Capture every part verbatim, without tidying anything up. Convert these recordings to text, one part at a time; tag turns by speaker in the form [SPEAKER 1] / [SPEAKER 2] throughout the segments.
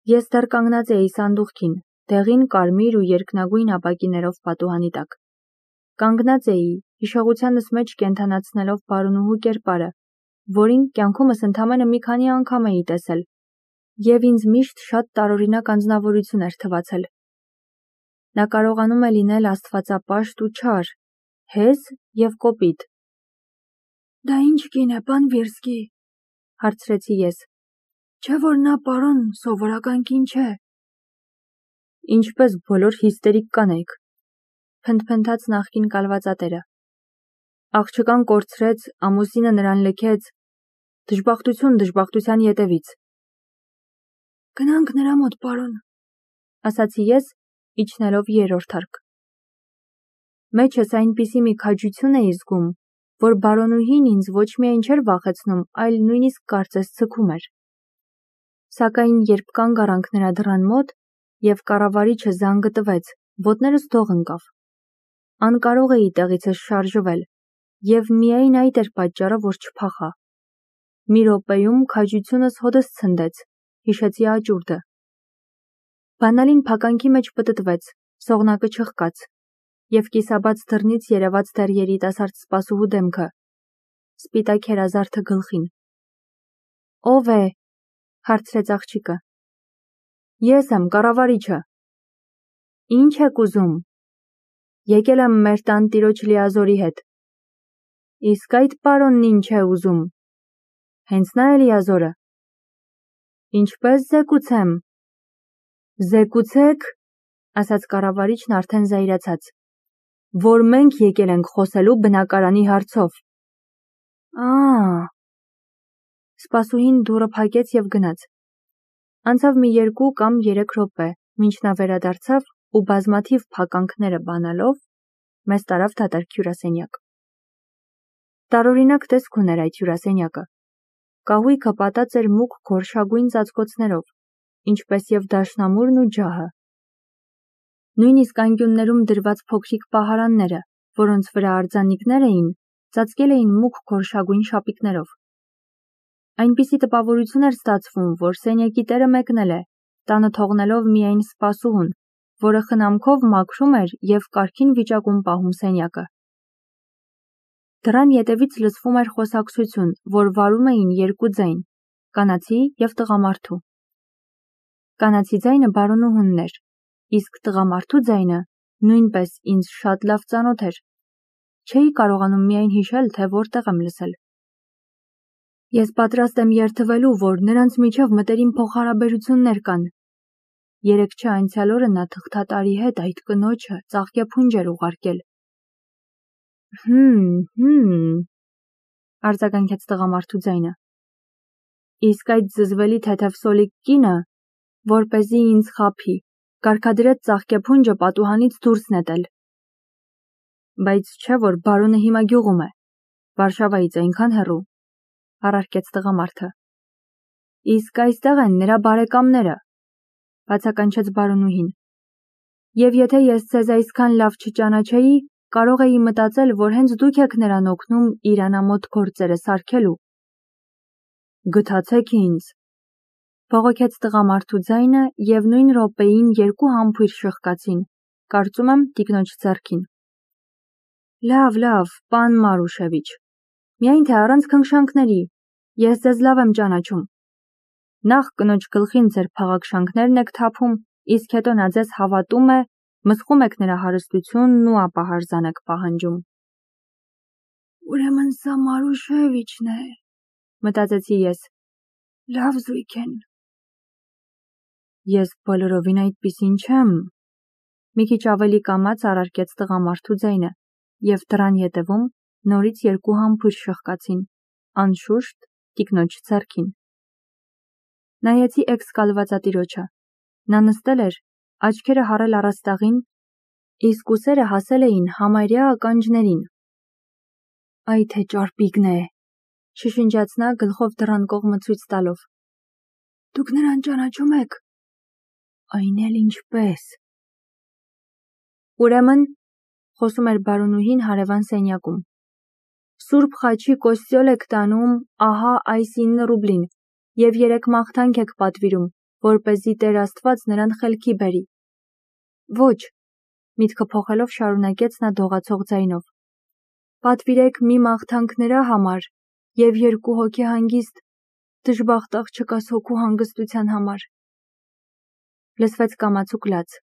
[SPEAKER 1] Ես դեռ կանգնած էի սանդուղքին, դեղին կարմիր ու երկնագույն ապակիներով պատուհանի տակ։ Կանգնած էի, հիշողությանս մեջ կենդանացնելով բարոնուհու կերպարը, որին կյանքումս ընդամենը մի քանի անգամ էի տեսել, և ինձ միշտ շատ տարօրինակ անձնավորություն էր թվացել։ Նա կարողանում է լինել աստվածապաշտ ու չար, հեզ և կոպիտ։
[SPEAKER 2] Դա ինչ կին է, պան Վիրսկի,
[SPEAKER 1] հարցրեցի ես։
[SPEAKER 2] Չէ՞ որ նա պարոն սովորական կին չէ։
[SPEAKER 1] Ինչպես բոլոր հիստերիկ կանայք, փնթփնթաց նախկին կալվածատերը։ Աղջկան կորցրեց, ամուսինը նրան լքեց, դժբախտություն դժբախտության ետևից։
[SPEAKER 2] Գնանք նրա մոտ, պարոն,
[SPEAKER 1] ասացի ես, իջնելով երրորդ հարկ։ Մեջս այնպիսի մի քաջություն էի զգում, որ բարոնուհին ինձ ոչ միայն չէր վախեցնում, այլ նույնիսկ կարծես ձգում էր։ Սակայն երբ կանգ առանք նրա դռան մոտ, և կառավարիչը զանգը տվեց, ոտներս դող ընկավ։ Անկարող էի տեղիցս շարժվել, և միայն այդ էր պատճառը, որ չփախա։ Մի րոպեում քաջությունս հօդս ցնդեց, հիշեցի աճուրդը։ Բանալին փականքի մեջ պտտվեց, սողնակը չխկաց, և կիսաբաց դռնից երևաց դեռ երիտասարդ սպասուհու դեմքը, սպիտակ երազարդը գլխին։ Ո՞վ է, հարցրեց աղջիկը։ Ես եմ, կառավարիչը։ Ինչ եք ուզում։ Եկել եմ մեր տանտիրոջ Լիազորի հետ։ Իսկ այդ պարոնն ինչ է ուզում։ Հենց նա է Լիազորը։ Ինչպես զեկուցեմ։ Զեկուցեք, ասաց կառավարիչն արդեն զայրացած, որ մենք եկել ենք խոսելու բնակարանի հարցով։ Ա՜։ Սպասուհին դուռը փակեց և գնաց։ Անցավ մի երկու կամ երեք րոպե, մինչ նա վերադարձավ ու բազմաթիվ փականքները բանալով, մեզ տարավ դատարկ հյուրասենյակ։ Տարօրինակ տեսք ուներ այդ հյուրասենյակը։ Կահույքը պատած էր մուգ գորշագույն ծածկոցներով, ինչպես և դաշնամուրն ու ջահը։ Նույնիսկ անկյուններում դրված փոքրիկ պահարանները, որոնց վրա արձանիկներ էին, ծածկել էին մուգ գորշագույն շապիկներով։ Այնպիսի տպավորություն էր ստացվում, որ սենյակի տերը մեկնել է, տանը թողնելով միայն սպասուհուն, որը խնամքով մաքրում էր և կարգին վիճակում պահում սենյակը։ Դռան ետևից լսվում էր խոսակցություն, որ վարում էին երկու ձայն՝ կանացի և տղամարդու։ Կանացի ձայնը բարոնուհունն էր, իսկ տղամարդու ձայնը նույնպես ինձ շատ լավ ծանոթ էր։ Չէի կարողանում միայն հիշել, թե որտեղ եմ լսել։ Ես պատրաստ եմ երդվելու, որ նրանց միջև մտերիմ փոխհարաբերություններ կան։ Երեկ չէ անցյալ օրը նա թղթատարի հետ այդ կնոջը ծաղկեփունջ էր ուղարկել։ Հմ, հմ, արձագանքեց տղամարդու ձայնը։ Իսկ այդ զզվելի թեթև սոլիկ կինը, որպեսզի ինձ խաբի, կարգադրեց ծաղկեփունջը պատուհանից դուրս նետել։ Բայց չէ՞ որ բարոնը հիմա գյուղում է, Վարշավայից այնքան հեռու, առարկեց տղամարդը։ Իսկ այստեղ են նրա բարեկամները, բացականչեց բարոնուհին։ Եվ եթե ես ձեզ այսքան լավ չճանաչեի, կարող էի մտածել, որ հենց դուք եք նրան օգնում իր անամոթ գործերը սարքելու։ Գթացեք ինձ, բողոքեց տղամարդու ձայնը, և նույն րոպեին երկու համբույր շխկացին, կարծում եմ տիկնոջ ձեռքին։ Լավ, լավ, պան Մարուշևիչ, միայն թե առանց քնքշանքների, ես ձեզ լավ եմ ճանաչում։ Նախ կնոջ գլխին ձեր փաղաքշանքներն եք թափում, իսկ հետո նա ձեզ հավատում է, մսխում եք նրա հարստությունն ու ապա հարզան եք պահանջում։
[SPEAKER 2] Ուրեմն սա Մարուշևիչն է,
[SPEAKER 1] մտածեցի ես։
[SPEAKER 2] Լավ զույգ են։
[SPEAKER 1] Ես բոլորովին այդպիսին չեմ, մի քիչ ավելի կամաց առարկեց տղամարդու ձայնը, և դռան ետևում նորից երկու համբույր շխկացին, անշուշտ տիկնոջ ձեռքին։ Նայեցի էքս-կալվածատիրոջը։ Նա նստել էր, աչքերը հառել առաստաղին, իսկ ուսերը հասել էին համարյա ականջներին։ Այ թե ճարպիկն է, շշնջաց նա գլխով դռան կողմը ցույց տալով։
[SPEAKER 2] Դուք նրան ճանաչում եք։
[SPEAKER 1] Այն էլ ինչպես։ Ուրեմն, խոսում էր բարոնուհին հարևան սենյակում, Սուրբ Խաչի կոստյոլ եք տանում ահա այս ինը ռուբլին, և երեք մաղթանք եք պատվիրում, որպեսզի Տեր Աստված նրան խելքի բերի։ Ոչ, միտքը փոխելով շարունակեց նա դողացող ձայնով։ Պատվիրեք մի մաղթանք նրա համար և երկու հոգի հանգիստ, դժբախտ աղջկաս հոգու հանգստության համար։ Լսվեց կամացուկ լաց։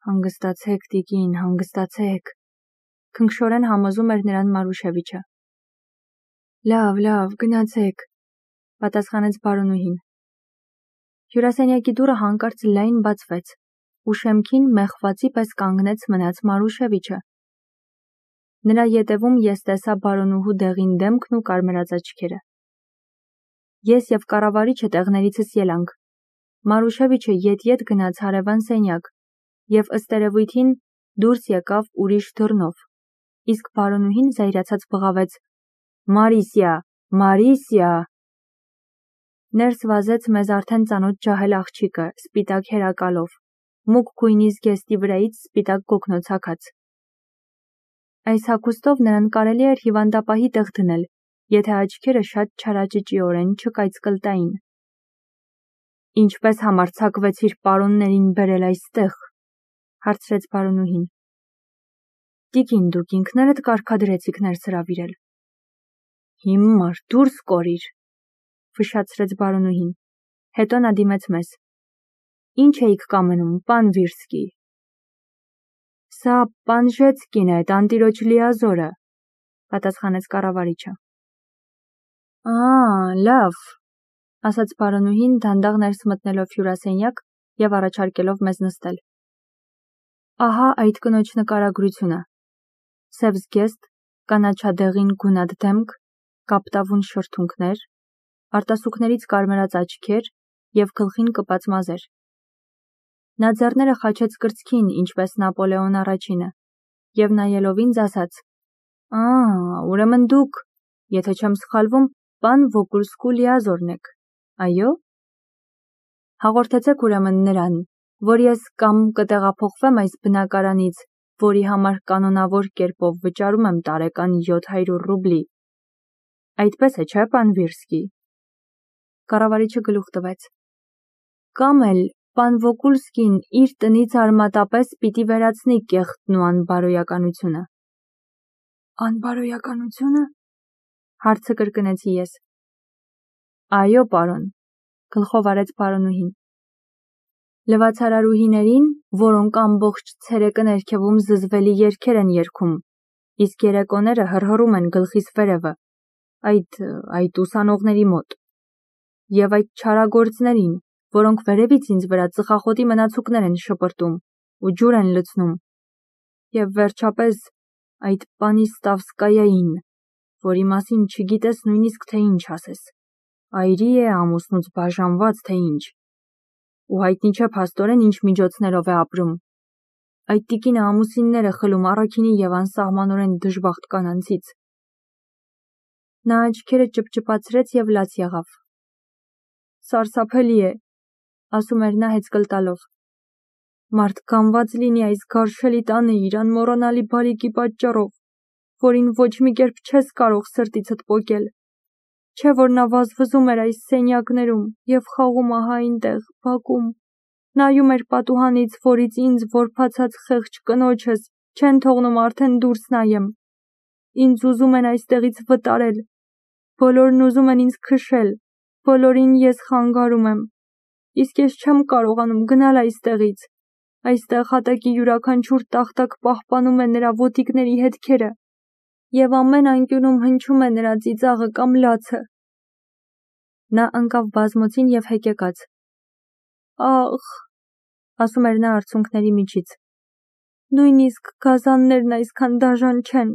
[SPEAKER 1] Հանգստացեք, տիկին, հանգստացեք, քնքշորեն համոզում էր նրան Մարուշևիչը։ Լավ, լավ, գնացեք, պատասխանեց բարոնուհին։ Հյուրասենյակի դուռը հանկարծ լայն բացվեց, ու շեմքին մեղվածի պես կանգնեց մնաց Մարուշևիչը։ Նրա ետևում ես տեսա բարոնուհու դեղին դեմքն ու կարմրած աչքերը։ Ես և կառավարիչը տեղներիցս ելանք։ Մարուշևիչը ետ-ետ գնաց հարևան սենյակ և ըստ երևույթին դուրս եկավ ուրիշ դռնով, իսկ բարոնուհին զայրացած բղավեց. Մարիսիա, Մարիսիա։ Ներս վազեց մեզ արդեն ծանոթ ջահել աղջիկը, սպիտակ հերակալով, մուգ գույնի զգեստի վրայից սպիտակ գոգնոց հագած։ Այս հագուստով նրան կարելի էր հիվանդապահի տեղ դնել, եթե աչքերը շատ չարաճճիորեն չկայծկլտային։ Ինչպես համարձակվեցիր պարոններին բերել այստեղ, հարցրեց բարոնուհին։ Տիկին, դուք ինքներդ կարգադրեցիք ներս հրավիրել։ Հիմար, դուրս կորիր, ֆշշացրեց բարոնուհին, հետո նա դիմեց մեզ։ Ինչ էիք կամենում, պան Վիրսկի։ Սա Պանժեցկին է, տանտիրոջ լիազորը, պատասխանեց կառավարիչը։ Ա, լավ, ասաց բարոնուհին դանդաղ ներս մտնելով հյուրասենյակ և առաջարկելով մեզ նստել։ Ահա այդ կնոջ նկարագրությունը։ Սև զգեստ, կանաչադեղին գունատ դեմք, կապտավուն շրթունքներ, արտասուքներից կարմրած աչքեր և գլխին կպած մազեր։ Նա ձեռները խաչեց կրծքին, ինչպես Նապոլեոն առաջինը, և նայելով ինձ ասաց. Ա, ուրեմն դուք, եթե չեմ սխալվում, պան Վոգուլսկու լիազորն եք, այո։ Հաղորդեցեք ուրեմն նրան, որ ես կամ կտեղափոխվեմ այս բնակարանից, որի համար կանոնավոր կերպով վճարում եմ տարեկան յոթ հարյուր ռուբլի։ Այդպես է, չէ, պան Վիրսկի։ Կառավարիչը գլուխ տվեց։ Կամ էլ պան Վոգուլսկին իր տնից արմատապես պիտի վերացնի կեղտն ու անբարոյականությունը։ Անբարոյականությունը, հարցը կրկնեցի ես։ Այո, պարոն, գլխով արեց բարոնուհին։ Լվացարարուհիներին, որոնք ամբողջ ցերեկը ներքևում զզվելի երգեր են երգում, իսկ երեկոները հռհռում են գլխիս վերևը, այդ, այդ ուսանողների մոտ, և այդ չարագործներին, որոնք վերևից ինձ վրա ծխախոտի մնացուկներ են շպրտում ու ջուր են լցնում, և վերջապես այդ Պանիստավսկայային, որի մասին չգիտես նույնիսկ թե ինչ ասես, այրի է ամուսնուց բաժանված, թե ինչ, ու հայտնի չէ փաստորեն ինչ միջոցներով է ապրում։ Այդ տիկինը ամուսիններ է խլում առաքինի և անսահմանորեն դժբախտ կանանցից։ Նա աչքերը ճպճպացրեց և լաց եղավ։ Սարսափելի է, ասում էր նա հեծկլտալով։ Մարդ կանված լինի այս գարշելի տանը իր անմոռանալի բարիքի պատճառով, որին ոչ մի կերպ չես կարող սրտիցդ պոկել։ Չէ որ նա վազվզում էր այս սենյակներում և խաղում ահա այնտեղ, բակում, նայում էր պատուհանից, որից ինձ որբացած խեղճ կնոջս չեն թողնում արդեն դուրս նայեմ։ Ինձ ուզում են այստեղից վտարել, բոլորն ուզում են ինձ քշել, բոլորին ես խանգարում եմ, իսկ ես չեմ կարողանում գնալ այստեղից։ Այստեղ հատակի յուրաքանչյուր տախտակ պահպանում է նրա ոտիկների հետքերը, և ամեն անկյունում հնչում է նրա ծիծաղը կամ լացը։ Նա ընկավ բազմոցին և հեկեկաց։ Ախ, ասում էր նա արցունքների միջից, նույնիսկ գազաններն այսքան դաժան չեն։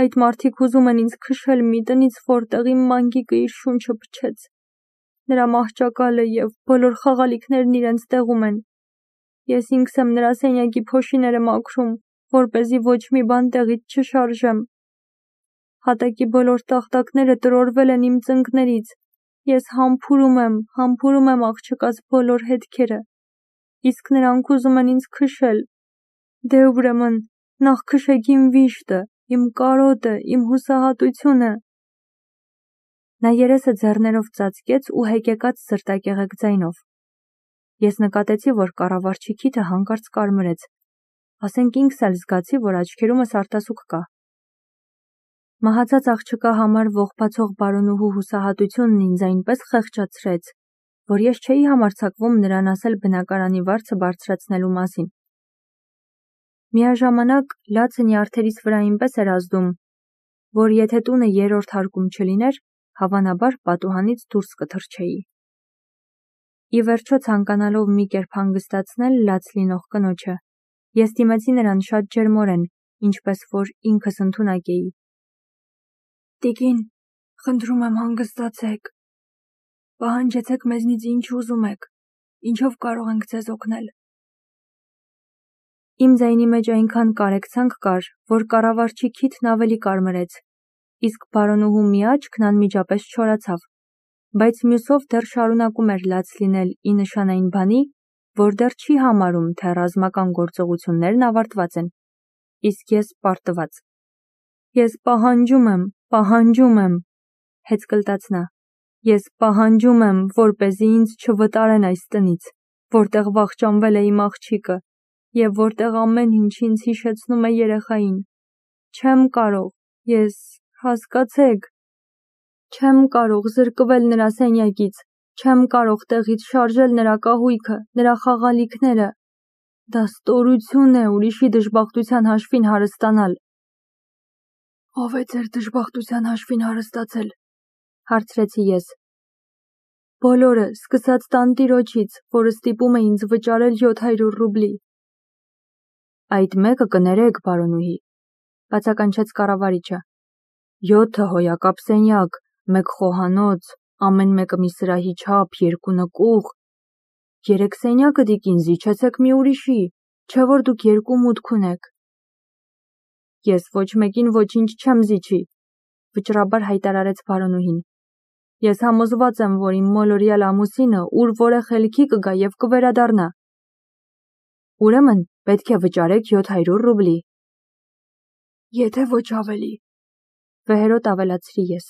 [SPEAKER 1] Այդ մարդիկ ուզում են ինձ քշել մի տնից, որտեղ իմ մանկիկը իր շունչը փչեց։ Նրա մահճակալը և բոլոր խաղալիքներն իրենց տեղում են։ Ես ինքս եմ նրա սենյակի փոշիները մաքրում, որպեսզի ոչ մի բան տեղից չշարժեմ։ Հատակի բոլոր տախտակները տրորվել են իմ ծնկներից։ Ես համբուրում եմ, համբուրում եմ աղջկաս բոլոր հետքերը, իսկ նրանք ուզում են ինձ քշել։ Դե ուրեմն, նախ քշեք իմ վիշտը, իմ կարոտը, իմ հուսահատությունը։ Նա երեսը ձեռներով ծածկեց ու հեկեկած սրտակեղեկ ձայնով. Ես նկատեցի, որ կառավարչի քիթը հանկարծ կարմրեց, ասենք ինքս էլ զգացի, որ աչքերումս արտասուք կա։ Մահացած աղջկա համար ողբացող բարոնուհու հուսահատությունն ինձ այնպես խեղճացրեց, որ ես չէի համարձակվում նրան ասել բնակարանի վարձը բարձրացնելու մասին։ Միաժամանակ լացը նյարդերիս վրա այնպես էր ազդում, որ եթե տունը երրորդ հարկում չլիներ, հավանաբար պատուհանից դուրս կթռչեի։ Ի վերջո ցանկանալով մի կերպ հանգստացնել լաց լինող կնոջը, ես դիմեցի նրան շատ ջերմորեն, ինչպես որ ինքս ընդունակ էի։
[SPEAKER 2] Տիկին, խնդրում եմ հանգստացեք։ Պահանջեցեք մեզնից ինչ ուզում եք, ինչով կարող ենք ձեզ օգնել։
[SPEAKER 1] Իմ ձայնի մեջ այնքան կարեկցանք կար, որ կառավարչի քիթն ավելի կարմրեց, իսկ բարոնուհու մի աչքն անմիջապես չորացավ, բայց մյուսով դեռ շարունակում էր լաց լինել ի նշան այն բանի, որ դեռ չի համարում, թե ռազմական գործողություններն ավարտված են, իսկ ես պարտված։ Ես պահանջում եմ, պահանջում եմ, հեծկլտաց նա, ես պահանջում եմ, որպեսզի ինձ չվտարեն այս տնից, որտեղ վախճանվել է իմ աղջիկը, և որտեղ ամեն ինչ ինձ հիշեցնում է երեխային։ Չեմ կարող, ես, հասկացեք, չեմ կարող զրկվել նրա սենյակից, չեմ կարող տեղից շարժել նրա կահույքը, նրա խաղալիքները։ Դա ստորություն է ուրիշի դժբախտության հաշվին հարստանալ։
[SPEAKER 2] Ո՞վ է ձեր դժբախտության հաշվին հարստացել,
[SPEAKER 1] հարցրեցի ես։ Բոլորը, սկսած տանտիրոջից, որը ստիպում է ինձ վճարել յոթ հարյուր ռուբլի։ Այդ մեկը կներեք, բարոնուհի, բացականչեց կառավարիչը։ Յոթը հոյակապ սենյակ, մեկ խոհանոց, ամեն մեկը մի սրահի չափ, երկու նկուղ։ Երեք սենյակը տիկին զիջեցեք մի ուրիշի, չէ որ դուք երկու մուտք ունեք։ Ես ոչ մեկին ոչինչ չեմ զիջի, վճռաբար հայտարարեց բարոնուհին։ Ես համոզված եմ, որ իմ մոլորյալ ամուսինը ուր որ է խելքի կգա և կվերադառնա։ Ուրեմն պետք է վճարեք յոթ հարյուր ռուբլի։
[SPEAKER 2] Եթե ոչ ավելի,
[SPEAKER 1] վեհերոտ ավելացրի ես։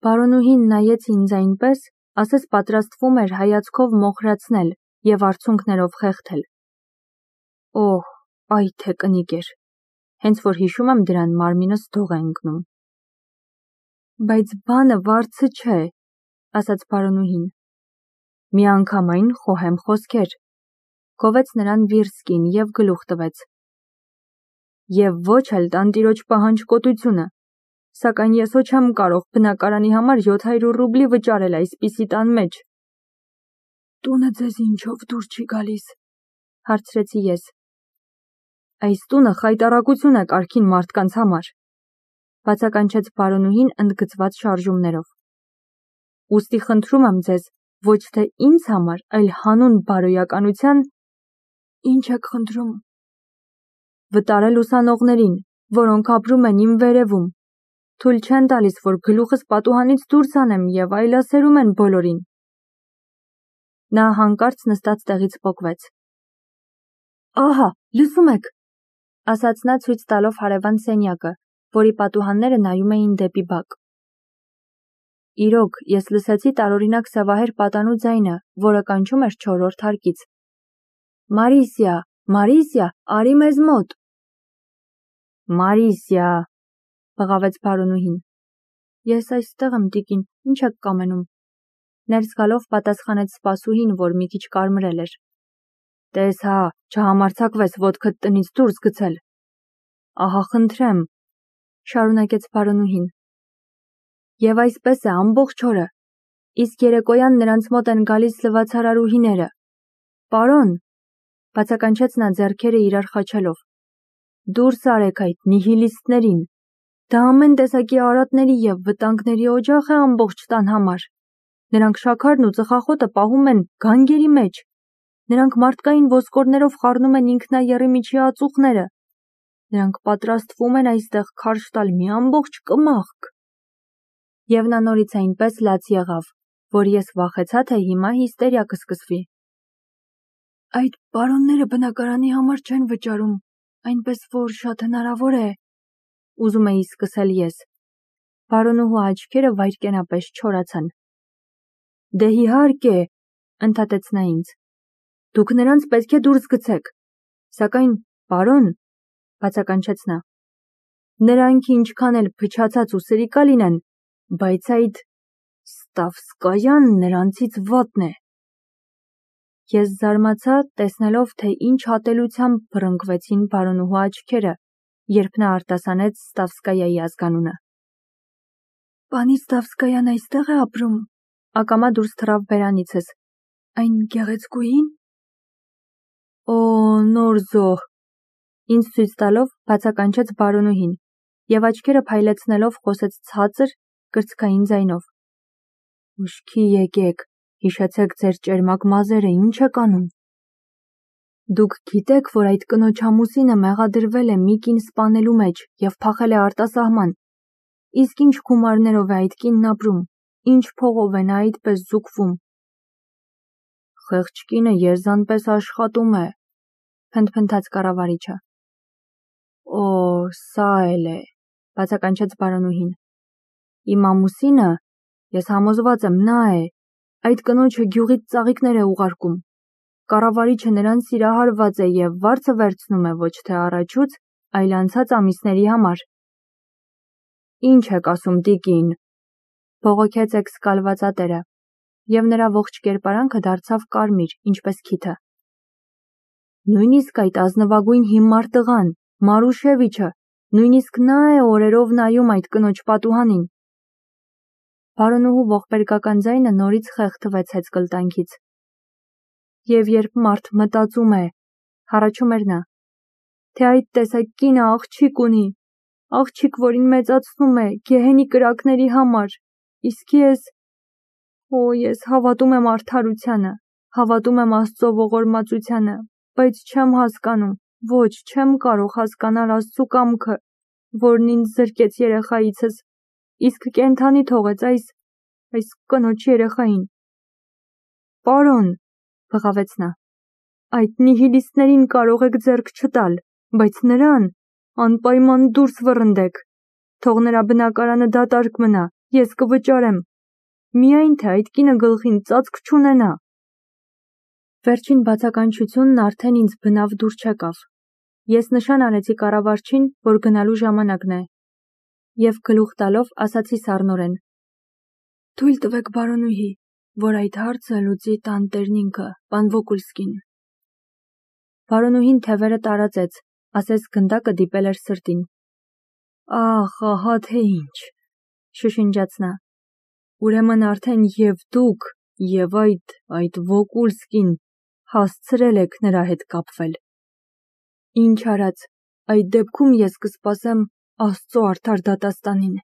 [SPEAKER 1] Բարոնուհին նայեց ինձ այնպես, ասես պատրաստվում էր հայացքով մոխրացնել և արցունքներով խեղդել։ Օհ, այ թե կնիկ էր, հենց որ հիշում եմ դրան մարմինս դող է ընկնում։ Բայց բանը վարձը չէ, ասաց բարոնուհին։ Միանգամայն խոհեմ խոսքեր, գովեց նրան վիրսկին և գլուխ տվեց։ Եվ ոչ էլ տանտիրոջ պահանջկոտությունը, սակայն ես ոչ եմ կարող բնակարանի համար յոթ հարյուր ռուբլի վճարել այսպիսի տան մեջ։
[SPEAKER 2] Տունը ձեզ ինչով դուր չի գալիս,
[SPEAKER 1] հարցրեցի ես։ Այս տունը խայտառակություն է կարգին մարդկանց համար, բացականչեց բարոնուհին ընդգծված շարժումներով։ Ուստի խնդրում եմ ձեզ, ոչ թե ինձ համար, այլ հանուն բարոյականության,
[SPEAKER 2] ինչ եք խնդրում,
[SPEAKER 1] վտարել ուսանողներին, որոնք ապրում են իմ վերևում, թույլ չեն տալիս, որ գլուխս պատուհանից դուրս անեմ և այլասերում են բոլորին։ Նա հանկարծ նստած տեղից պոկվեց։ Ահա, լսում եք, ասաց նա ցույց տալով հարևան սենյակը, որի պատուհանները նայում էին դեպի բակ։ Իրոք, ես լսեցի տարօրինակ սևահեր պատանու ձայնը, որը կանչում էր չորրորդ հարկից։ Մարիսիա, Մարիսիա, արի մեզ մոտ։ Մարիսիա, բղավեց բարոնուհին։ Ես այստեղ եմ, տիկին, ինչ եք կամենում։ Ներս գալով պատասխանեց սպասուհին, որ մի քիչ կարմրել էր։ Տես հա, չհամարձակվես ոտքդ տնից դուրս գցել։ Ահա խնդրեմ, շարունակեց բարոնուհին։ Եվ այսպես է ամբողջ օրը, իսկ երեկոյան նրանց մոտ են գալիս լվացարարուհիները։ Պարոն, բացականչեց նա ձեռքերը իրար խաչելով, դուրս արեք այդ նիհիլիստներին, դա ամեն տեսակի արատների և վտանգների օջախ է ամբողջ տան համար։ Նրանք շաքարն ու ծխախոտը պահում են գանգերի մեջ, նրանք մարդկային ոսկորներով խառնում են ինքնաեռի միջի ածուխները, նրանք պատրաստվում են այստեղ քարշ տալ մի ամբողջ կմախք։ Եվ նա նորից այնպես լաց եղավ, որ ես վախեցա, թե հիմա հիստերիա կսկսվի։
[SPEAKER 2] Այդ պարոնները բնակարանի համար չեն վճարում, այնպես որ շատ հնարավոր է,
[SPEAKER 1] ուզում էի սկսել ես, Բարոնուհու աչքերը վայրկենապես չորացան։ Դե իհարկե, ընդհատեց նա ինձ։ Դուք նրանց պետք է դուրս գցեք։ Սակայն, պարոն, բացականչեց նա, նրանք ինչքան էլ փչացած ու սրիկա լինեն, բայց այդ Ստավսկայան նրանցից վատն է։ Ես զարմացա, տեսնելով, թե ինչ հատելությամբ բռնկվեցին բարոնուհու աչքերը, երբ նա արտասանեց Ստավսկայայի ազգանունը։
[SPEAKER 2] Պանի Ստավսկայան այստեղ է ապրում։
[SPEAKER 1] Ակամա դուրս թռավ բերանիցս։
[SPEAKER 2] Այն գեղեցկուհին։
[SPEAKER 1] Օ, նոր զոհ։ Ինձ ցույց տալով բացականչեց բարոնուհին, եւ աչքերը փայլեցնելով խոսեց ցածր, կրծքային ձայնով։ Ուշքի եկեք, հիշեցեք ձեր ճերմակ մազերը, ինչ եք անում։ Դուք գիտեք, որ այդ կնոջ ամուսինը մեղադրվել է մի կին սպանելու մեջ եւ փախել է արտասահման։ Իսկ ինչ գումարներով է այդ կինն ապրում, ինչ փողով է նա այդպես զուգվում։ Խեղճ կինը եզանպես աշխատում է, փնթփնթաց կառավարիչը։ Օ, սա էլ է, բացականչեց բարոնուհին։ Իմ ամուսինը, ես համոզված եմ, նա է, այդ կնոջը գյուղից ծաղիկներ է ուղարկում։ Կառավարիչը նրան սիրահարված է եւ վարձը վերցնում է ոչ թե առաջուց, այլ անցած ամիսների համար։ Ինչ եք ասում, տիկին, բողոքեց էքսկալվածատերը, եւ նրա ողջ կերպարանքը դարձավ կարմիր, ինչպես քիթը։ Նույնիսկ այդ ազնվագույն հիմար տղան, Մարուշևիչը, նույնիսկ նա է օրերով նայում այդ կնոջ պատուհանին։ Բարոնուհու ողբերգական ձայնը նորից խեղդվեց հեծկլտանքից։ Եվ երբ մարդ մտածում է, հառաչում էր նա, թե այդ տեսակ կինը աղջիկ ունի, աղջիկ, որին մեծացնում է գեհենի կրակների համար, իսկ ես, օ, ես հավատում եմ արդարությանը, հավատում եմ Աստծո ողորմածությանը, բայց չեմ հասկանում, ոչ, չեմ կարող հասկանալ Աստծո կամքը, որն ինձ զրկեց երեխայիցս, իսկ կենդանի թողեց այս, այս կնոջ երեխային։ Պարոն, բղավեց նա, այդ նիհիլիստներին կարող եք ձեռք չտալ, բայց նրան անպայման դուրս վռնդեք, թող նրա բնակարանը դատարկ մնա, ես կվճարեմ, միայն թե այդ կինը գլխին ծածկ չունենա։ Վերջին բացականչությունն արդեն ինձ բնավ դուր չեկավ։ Ես նշան արեցի կառավարչին, որ գնալու ժամանակն է, եւ գլուխ տալով ասացի սառնորեն.
[SPEAKER 2] Թույլ տվեք բարոնուհի, որ այդ հարցը լուծի տանտերն ինքը, պան Վոկուլսկին։
[SPEAKER 1] Բարոնուհին թևերը տարածեց, ասես գնդակը դիպել էր սրտին։ Ախ, ահա թե ինչ, շշնջաց նա։ Ուրեմն արդեն եւ դուք, եւ այդ, այդ Վոկուլսկին հասցրել եք նրա հետ կապվել։ Ինչ արած, այդ դեպքում ես կսպասեմ Աստծո արդար դատաստանին։